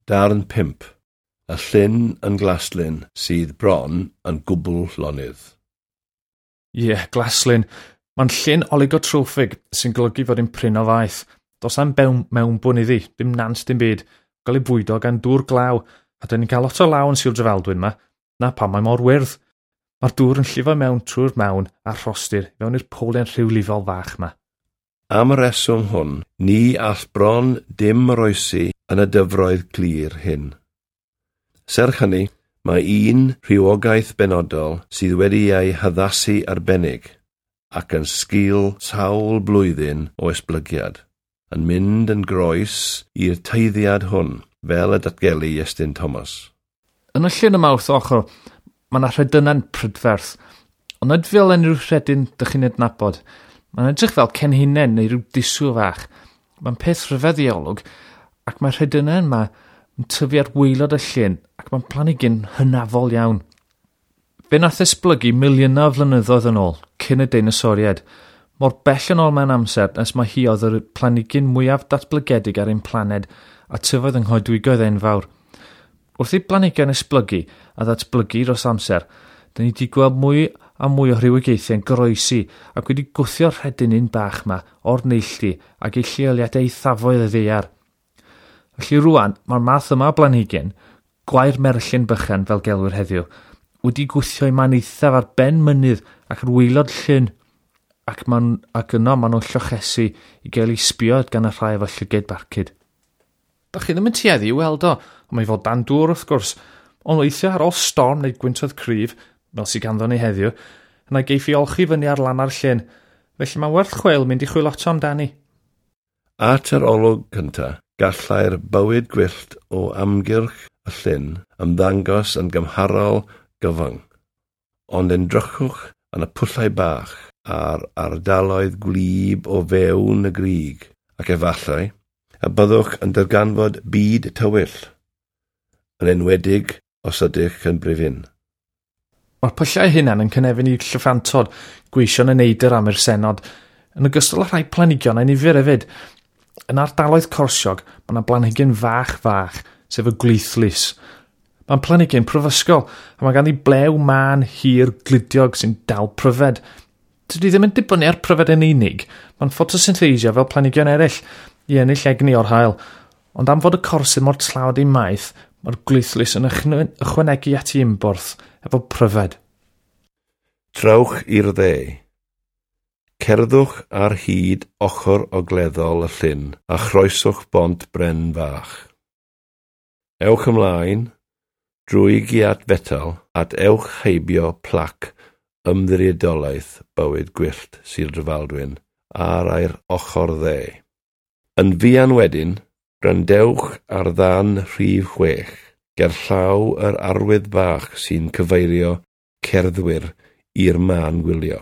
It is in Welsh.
Darn 5. Y llyn yn Glaslyn sydd bron yn gwbl lonydd. Ie, yeah, Glaslyn. Mae'n llyn oligotroffig sy'n golygu fod yn prin o faeth. Does am mewnbwn iddi, dim nant dim byd. Gael ei bwydo gan dŵr glaw, a dyn ni'n cael lot o law yn Sir Drefaldwyn yma. Na pam mae mor wyrdd. Mae'r dŵr yn llifo mewn trwy'r mawn a'r rhostir fewn i'r powlen rhywlifol fach yma. Am y reswm hwn, ni all bron dim oroesi yn y dyfroedd clir hyn. Serch hynny, mae un rhywogaeth benodol sydd wedi ei haddasu arbennig ac yn sgil sawl blwyddyn o esblygiad, yn mynd yn groes i'r tueddiad hwn, fel y datgelu Iestyn Thomas. Yn y llun yma wrth ochr, mae yna rhedyna'n prydferth, ond nid fel unrhyw rhedyn dych chi'n adnabod. Mae'n edrych fel cenhinen neu rhyw disw fach. Mae'n peth rhyfedd i olwg, ac mae'r rhedynnau yma yn tyfu ar waelod y llyn, ac mae'n planhigyn hynafol iawn. Fe nath esblygu miliynau o flynyddoedd yn ôl, cyn y deinosoriaid. Mor bell yn ôl mewn amser nes mae hi oedd yr planhigyn mwyaf datblygedig ar ein planed a tyfodd yng nghoedwigoedd enfawr. Wrth i blanhigion esblygu a ddatblygu dros amser, dyn ni wedi gweld mwy a mwy o rhywogaethau yn goroesi ac wedi gwthio'r rhedyn un bach yma o'r neilltu ac ei lleoliadau eithafoedd y ddaear. Felly rwan, mae'r math yma o blanhigyn, gwair merllyn bychan fel gelwir heddiw, wedi gwthio i man eithaf ar ben mynydd ac ar waelod llyn, ac, ac yno maen nhw'n llochesu i gael ei sbio gan y rhai efo llygaid barcud. Da chi ddim yn tueddu i weld o, ond mae fod dan dŵr wrth gwrs, ond weithiau ar ôl storm neu gwyntoedd cryf, fel sydd ganddo ni heddiw, yna geiff i olchi fyny ar lan ar llyn, felly mae'n werth chweil mynd i chwilota amdani. At yr olwg cyntaf, gallai'r bywyd gwyllt o amgylch y llyn ymddangos yn gymharol gyfyng, ond edrychwch yn y pwllau bach a'r ardaloedd gwlyb o fewn y grug, ac efallai y byddwch yn darganfod byd tywyll, yn enwedig os ydych yn brifyn. Mae'r pyllau hunan yn cynefin i llyffantod, gweision y neidr am i'r senod, yn ogystal â rhai planhigion a'i nifer hefyd. Yn ardaloedd corsiog, mae yna blanhigyn fach fach, sef y gwlithlys. Mae'n planhigyn prifysgol, a mae ganddi blew mân hir gludiog sy'n dal pryfed. Dydy ddim yn dibynnu ar pryfed yn unig, mae'n ffotosyntheisio fel planhigion eraill i ennill egni o'r haul. Ond am fod y corsydd mor tlawd ei maeth, mae'r gwlithlys yn ychwanegu at ei ymborth efo pryfed. Trowch i'r dde. Cerddwch ar hyd ochr ogleddol y llyn a chroeswch bont bren fach. Ewch ymlaen drwy giât fetel at ewch heibio plac ymddiriedolaeth bywyd gwyllt Sir Drefaldwyn ar ai'r ochr dde. Yn fuan wedyn, gwrandewch ar ddan rhif 6, gerllaw yr arwydd bach sy'n cyfeirio cerddwyr i'r man gwylio.